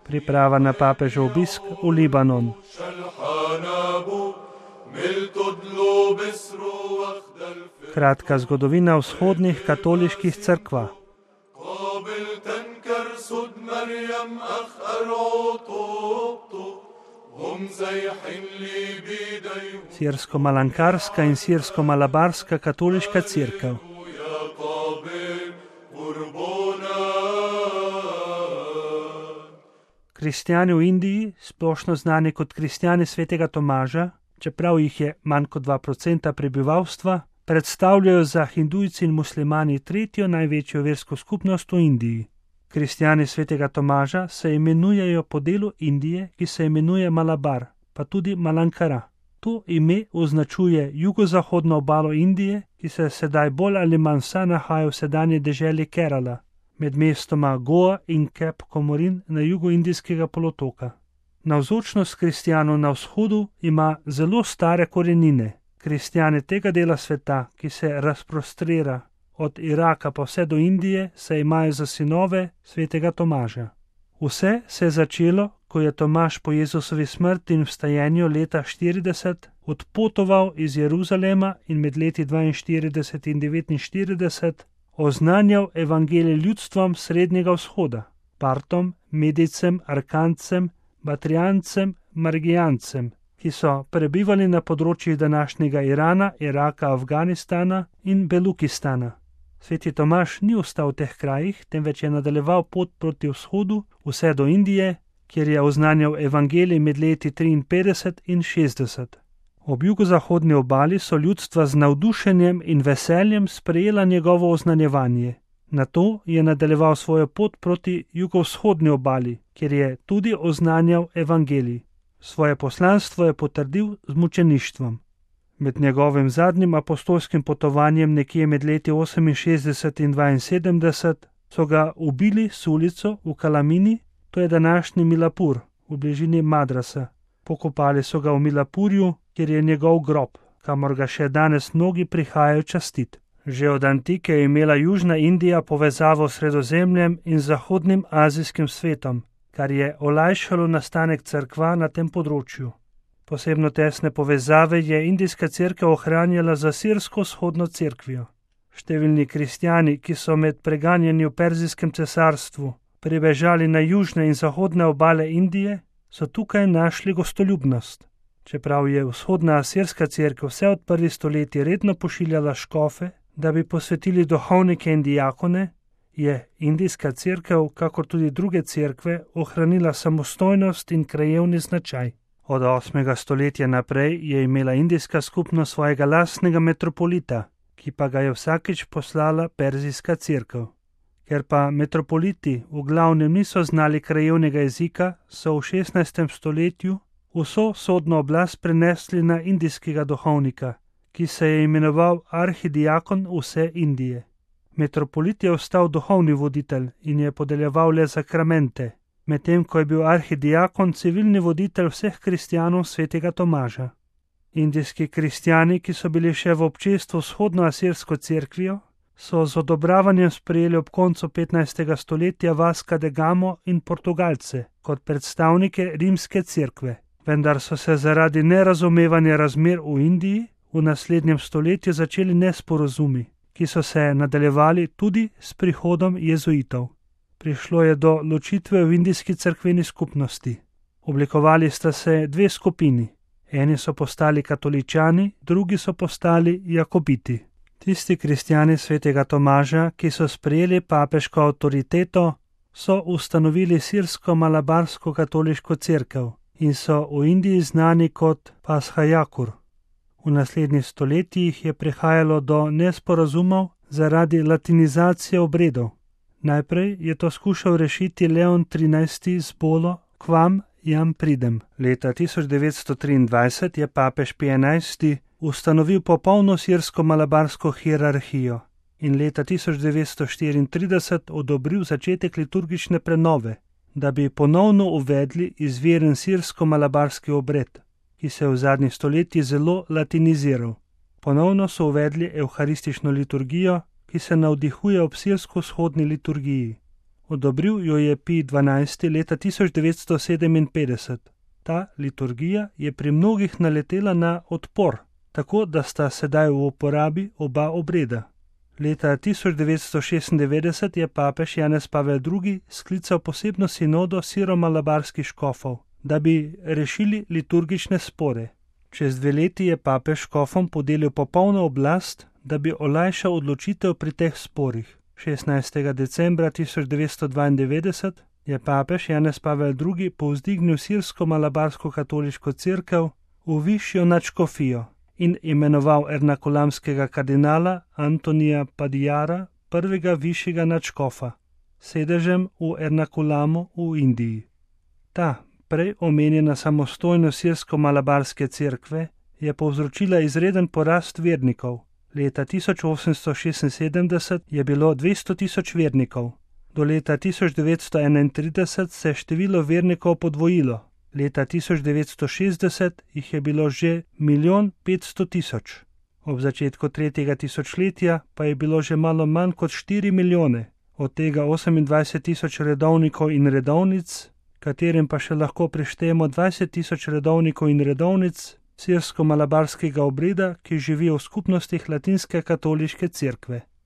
Priprava na papežev obisk v Libanon. Kratka zgodovina vzhodnih katoliških cerkva. Sirsko-malankarska in sirsko-malabarska katoliška cerkev. Kristjani v Indiji, splošno znani kot kristjani svetega Tomaža, čeprav jih je manj kot 2% prebivalstva, predstavljajo za hindujci in muslimani tretjo največjo versko skupnost v Indiji. Kristjani svetega Tomaža se imenujejo po delu Indije, ki se imenuje Malabar, pa tudi Malankara. To ime označuje jugozahodno obalo Indije, ki se sedaj bolj ali manj vsa nahaja v sedanji deželi Kerala, med mestoma Goa in Cape Comorin na jugu indijskega polotoka. Navzočnost kristjanov na vzhodu ima zelo stare korenine. Kristjani tega dela sveta, ki se razprostrira od Iraka pa vse do Indije, se imajo za sinove svetega Tomaža. Vse se je začelo, ko je Tomaž po Jezusovi smrti in vstajenju leta 40 odpotoval iz Jeruzalema in med leti 42 in 49 oznanjal evangelij ljudstvom Srednjega vzhoda, Partom, Medicem, Arkancem, Batrijancem, Margijancem, ki so prebivali na področjih današnjega Irana, Iraka, Afganistana in Belukistana. Sveti Tomaž ni ostal v teh krajih, temveč je nadaljeval pot proti vzhodu, vse do Indije, kjer je oznanjal evangelij med leti 53 in 60. Ob jugozahodni obali so ljudstva z navdušenjem in veseljem sprejela njegovo oznanjevanje. Nato je nadaljeval svojo pot proti jugovzhodni obali, kjer je tudi oznanjal evangelij. Svoje poslanstvo je potrdil z mučeništvom. Med njegovim zadnjim apostolskim potovanjem nekje med leti 68 in 72 so ga ubili s ulico v Kalamini, to je današnji Milapur, v bližini Madrasa. Pokopali so ga v Milapurju, kjer je njegov grob, kamor ga še danes mnogi prihajajo častit. Že od antike je imela Južna Indija povezavo s Sredozemljem in zahodnim azijskim svetom, kar je olajšalo nastanek cerkva na tem področju. Posebno tesne povezave je indijska cerkev ohranjala za sirsko-vzhodno cerkvijo. Številni kristjani, ki so med preganjanji v Perzijskem cesarstvu pribežali na južne in zahodne obale Indije, so tukaj našli gostoljubnost. Čeprav je vzhodna asirska cerkev vse od prvih stoletij redno pošiljala škofe, da bi posvetili duhovnike in dijakone, je indijska cerkev, kakor tudi druge cerkve, ohranila samostojnost in krajevni značaj. Od 8. stoletja naprej je imela indijska skupnost svojega lastnega metropolita, ki pa ga je vsakič poslala perzijska cerkev. Ker pa metropoliti v glavnem niso znali krajevnega jezika, so v 16. stoletju vso sodno oblast prenesli na indijskega duhovnika, ki se je imenoval arhidiakon vse Indije. Metropolit je ostal duhovni voditelj in je podeljeval le sakramente, medtem ko je bil arhidiakon civilni voditelj vseh kristjanov svetega Tomaža. Indijski kristjani, ki so bili še v občestvu vzhodnoasirsko cerkvijo, so z odobravanjem sprejeli ob koncu 15. stoletja Vasca de Gamo in Portugalce kot predstavnike rimske cerkve, vendar so se zaradi nerazumevanja razmer v Indiji v naslednjem stoletju začeli nesporazumi, ki so se nadaljevali tudi s prihodom jezuitov. Prišlo je do ločitve v indijski cerkveni skupnosti. Oblikovali sta se dve skupini. Eni so postali katoličani, drugi so postali jakobiti. Tisti kristjani svetega Tomaža, ki so sprejeli papeško avtoriteto, so ustanovili sirsko-malabarsko katoliško cerkev in so v Indiji znani kot Pashajakur. V naslednjih stoletjih je prihajalo do nesporazumov zaradi latinizacije obredov. Najprej je to skušal rešiti Leon XIII z bolo Quam jam pridem. Leta 1923 je papež Pij XI ustanovil popolno sirsko-malabarsko hierarhijo in leta 1934 odobril začetek liturgične prenove. da bi ponovno uvedli izviren sirsko-malabarski obred, ki se je v zadnjih stoletjih zelo latiniziral. Ponovno so uvedli evharistično liturgijo, ki se navdihuje ob sirsko-vzhodni liturgiji. Odobril jo je Pij XII. Leta 1957. Ta liturgija je pri mnogih naletela na odpor, tako da sta sedaj v uporabi oba obreda. Leta 1996 je papež Janez Pavel II. Sklical posebno sinodo siro-malabarskih škofov, da bi rešili liturgične spore. Čez 2 leti je papež škofom podelil popolno oblast, da bi olajšal odločitev pri teh sporih. 16. decembra 1992 je papež Janez Pavel II. Povzdignil sirsko-malabarsko katoliško cerkev v višjo nadškofijo in imenoval ernakulamskega kardinala Antonija Padijara prvega višjega nadškofa, sedežem v Ernakulamu v Indiji. Ta prej omenjena samostojnost sirsko-malabarske cerkve je povzročila izreden porast vernikov. Leta 1876 je bilo 200 tisoč vernikov. Do leta 1931 se je število vernikov podvojilo. Leta 1960 jih je bilo že 1 500 000. Ob začetku 3. tisočletja pa je bilo že malo manj kot 4 milijone, od tega 28 000 redovnikov in redovnic, katerim pa še lahko prištejemo 20 000 redovnikov in redovnic sirsko-malabarskega obreda, ki živijo v skupnostih latinske katoliške cerkve.